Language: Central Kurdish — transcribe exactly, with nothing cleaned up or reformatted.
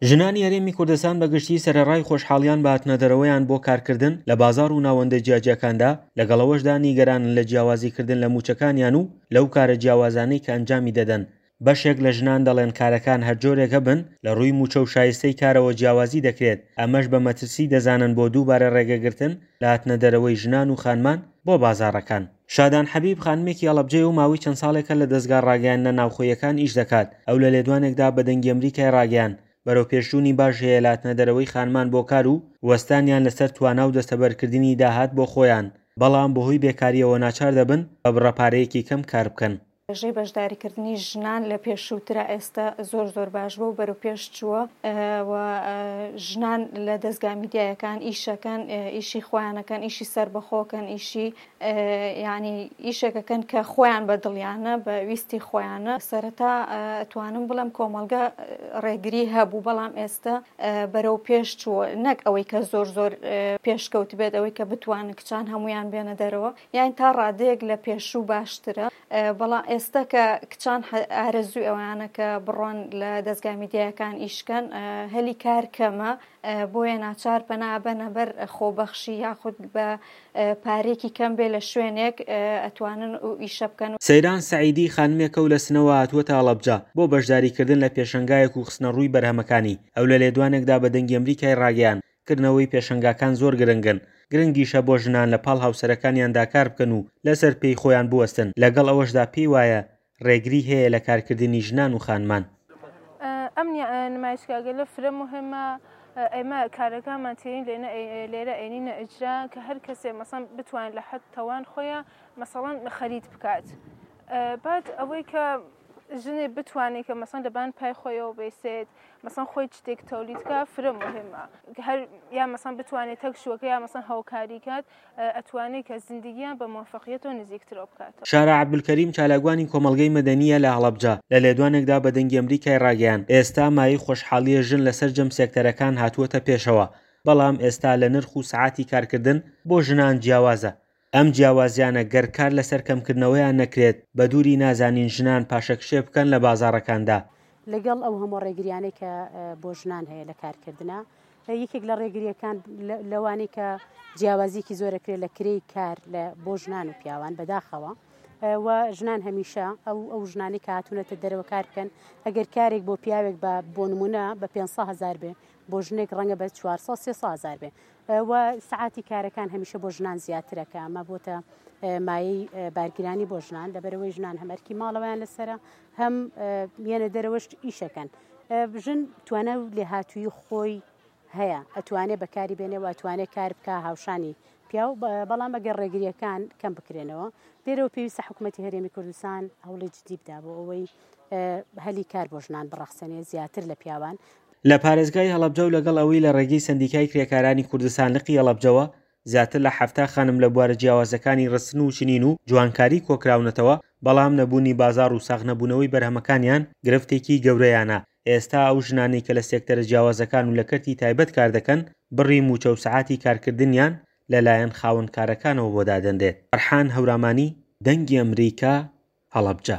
ژنانی هەرێمی کوردستان بە گشتی سەرەڕای خۆشحاڵیان بە هاتنەدەرەوەیان بۆ کارکردن لە بازاڕ و ناوەندە جیاجیاکاندا، لەگەڵ ئەوەشدا نیگەرانن لە جیاوازیکردن لە مووچەکانیان و لەو کارە جیاوازانەی کە ئەنجامی دەدەن. بەشێک لە ژنان دەڵێن کارەکان هەر جۆرێک هەبن لە ڕووی مووچە و شایستەی کارەوە جیاوازی دەکرێت، ئەمەش بە مەترسی دەزانن بۆ دووبارە ڕێگەگرتن لە هاتنەدەرەوەی ژنان و خانمان بۆ بازاڕەکان. شادان حەبیب خانمێکی هەڵەبجەیە و ماوەی چەند ساڵێکە لە دەزگا ڕاگەیاندنە ناوخۆیەکان ئیش دەکات. ئەو لە لێدوانێکدا بە دەنگی ئەمریکای ڕاگەیاند بەرەو پێشچوونی باش هەیە لە هاتنەدەرەوەی خانمان بۆ کار و وەستانیان لەسەر توانا و دەستەبەرکردنی داهات بۆ خۆیان، بەڵام بەهۆی بێکاریەوە ناچار دەبن بە بڕە پارەیەکی کەم کار بکەن. ڕێژەی بەشداریکردنی ژنان لە پێشووترا ئێستا زۆر زۆر باش بوو، بەرەو پێش چووە و ژنان لە دەزگا میدیایەکان ئیشەکەن، ئیشی خۆیانەکەن، ئیشی سەربەخۆکەن، ئیشی یعنی ئیشێکەکەن کە خۆیان بە دڵیانە، بە ویستی خۆیانە. سەرەتا ئەتوانم بڵێم کۆمەڵگە ڕێگری هەبوو، بەڵام ئێستا بەرەو پێش چووە، نەک ئەوەی کە زۆر زۆر پێشکەوت بێت، ئەوەی کە بتوانن کچان هەمویان بێنە دەرەوە، یان تا ڕادەیەک لە پێشوو باشترە. بەڵام ئێستا کە کچان ئارەزووی ئەوانە کە بڕۆن لە دەزگا میدیایەکان ئیشکەن، هەلی کار کەمە، بۆیە ناچار پەنابەنە بەر خۆبەخشی یاخود بە پارێکی کەم بێ لە شوێنێک ئەتوانن و ئیشە بکەن. سەیران سەعیدی خانمێکە و لە سنەوە هاتووەتە هەڵەبجە بۆ بەشداریکردن لە پێشەنگایەک و خستنەڕووی بەرهەمەکانی. ئەو لە لێدوانێکدا بە دەنگی ئەمریکای ڕاگەیاند کردنەوەی پێشەنگاکان زۆر گرنگن، گرنگیشە بۆ ژنان لە پاڵ هاوسەرەکانیاندا کار بکەن و لەسەر پێی خۆیان بوەستن. لەگەڵ ئەوەشدا پێی وایە ڕێگری هەیە لە کارکردنی ژنان و خانمان. ئەم نمایشگاگەلە فرە مهمە. ئێمە کارەکانمان تێین لێرە ئەینینە ئیجرا کە هەر کەسێ مەسەن بتوانێت لە حەد تەوان خۆیان مەسەڵەن خەرید بکات. بعد ئەوەی کە ژنێ بتوانێت کە مەسەن لەبان پای خۆیەوە بێسێت، مەسەن خۆی شتێک تەولید کە فرە مهمە. هەر یا مەسەن بتوانێت تەک شوەکە یا مەسەن هاوکاری کات، ئەتوانێت کە زندگیان بە موفقیەتەوە نزیکترەوە بکاتەوە. شارە عەبدولکەریم چالاکوانی کۆمەڵگەی مەدەنیە لە هەڵەبجە لە لێدوانێکدا بە دەنگی ئەمریکای ڕاگەیاند ئێستا مایەی خۆشحاڵیە ژن لەسەر جەم سێکتەرەکان هاتووەتە پێشەوە، بەڵام ئێستا لە نرخ و سەعاتی کارکردن بۆ ژنان جیاوازە. ئەم جیاوازیانە گەر کار لەسەر کەمکردنەوەیان نەکرێت بە دووری نازانین ژنان پاشەکشێ بکەن لە بازاڕەکاندا. لەگەڵ ئەو هەموو ڕێگریانەی کە بۆ ژنان هەیە لە کارکردنە، یەکێک لە ڕێگریەکان لەوانەی کە جیاوازیەکی زۆرەکرێت لە کرێی کار بۆ ژنان و پیاوان بەداخەوە و ژنان هەمیشە ئەو ئەو ژنانەی کە هاتوونەتە دەرەوە کار بکەن، ئەگەر کارێک بۆ پیاوێک بە بۆ نمونە بە پێنج سەد هەزار بێ، بۆ ژنێک ڕەنگە بە چوار سەد سێ سەد هەزار بێ و سەعاتی کارەکان هەمیشە بۆ ژنان زیاترە کە ئەمە بۆتە مایەی بارگرانی بۆ ژنان، لەبەرەوەی ژنان هەم ئەرکی ماڵەوەیان لەسەرە هەم یەنە دەرەوەش ئیشەکەن. ژن توانا و لێهاتووی خۆی هەیە، ئەتوانێت بەکاری بێنێ و ئەتوانێت کار بکە هاوشانی پیاو، بەڵام ئەگەر ڕێگریەکان کەم بکرێنەوە لێرەوە پێویستە حکوومەتی هەرێمی کوردستان هەوڵی جدی بدا بۆ ئەوەی هەلی کار بۆ ژنان بڕەخسێنێ زیاتر لە پیاوان. لە پارێزگای هەڵەبجە و لەگەڵ ئەوەی لە ڕێگەی سەندیکای کرێکارانی کوردستان لقی هەڵەبجەوە زیاتر لە حەفتا خانم لە بوارە جیاوازەکانی ڕستن و چنین و جوانکاری کۆکراونەتەوە، بەڵام نەبوونی بازاڕ و ساغ نەبوونەوەی بەرهەمەکانیان گرفتێکی گەورەیانە. ئێستا ئەو ژنانەی کە لە سێکتەرە جیاوازەکان و لە کەرتی تایبەت کار دەکەن بڕی موچە و سەعاتی کارکردنیان لەلایەن خاوەنکارەکانەوە بۆ دادەنرێت. فەرحان هەورامانی، دەنگی ئەمریکا، هەڵەبجە.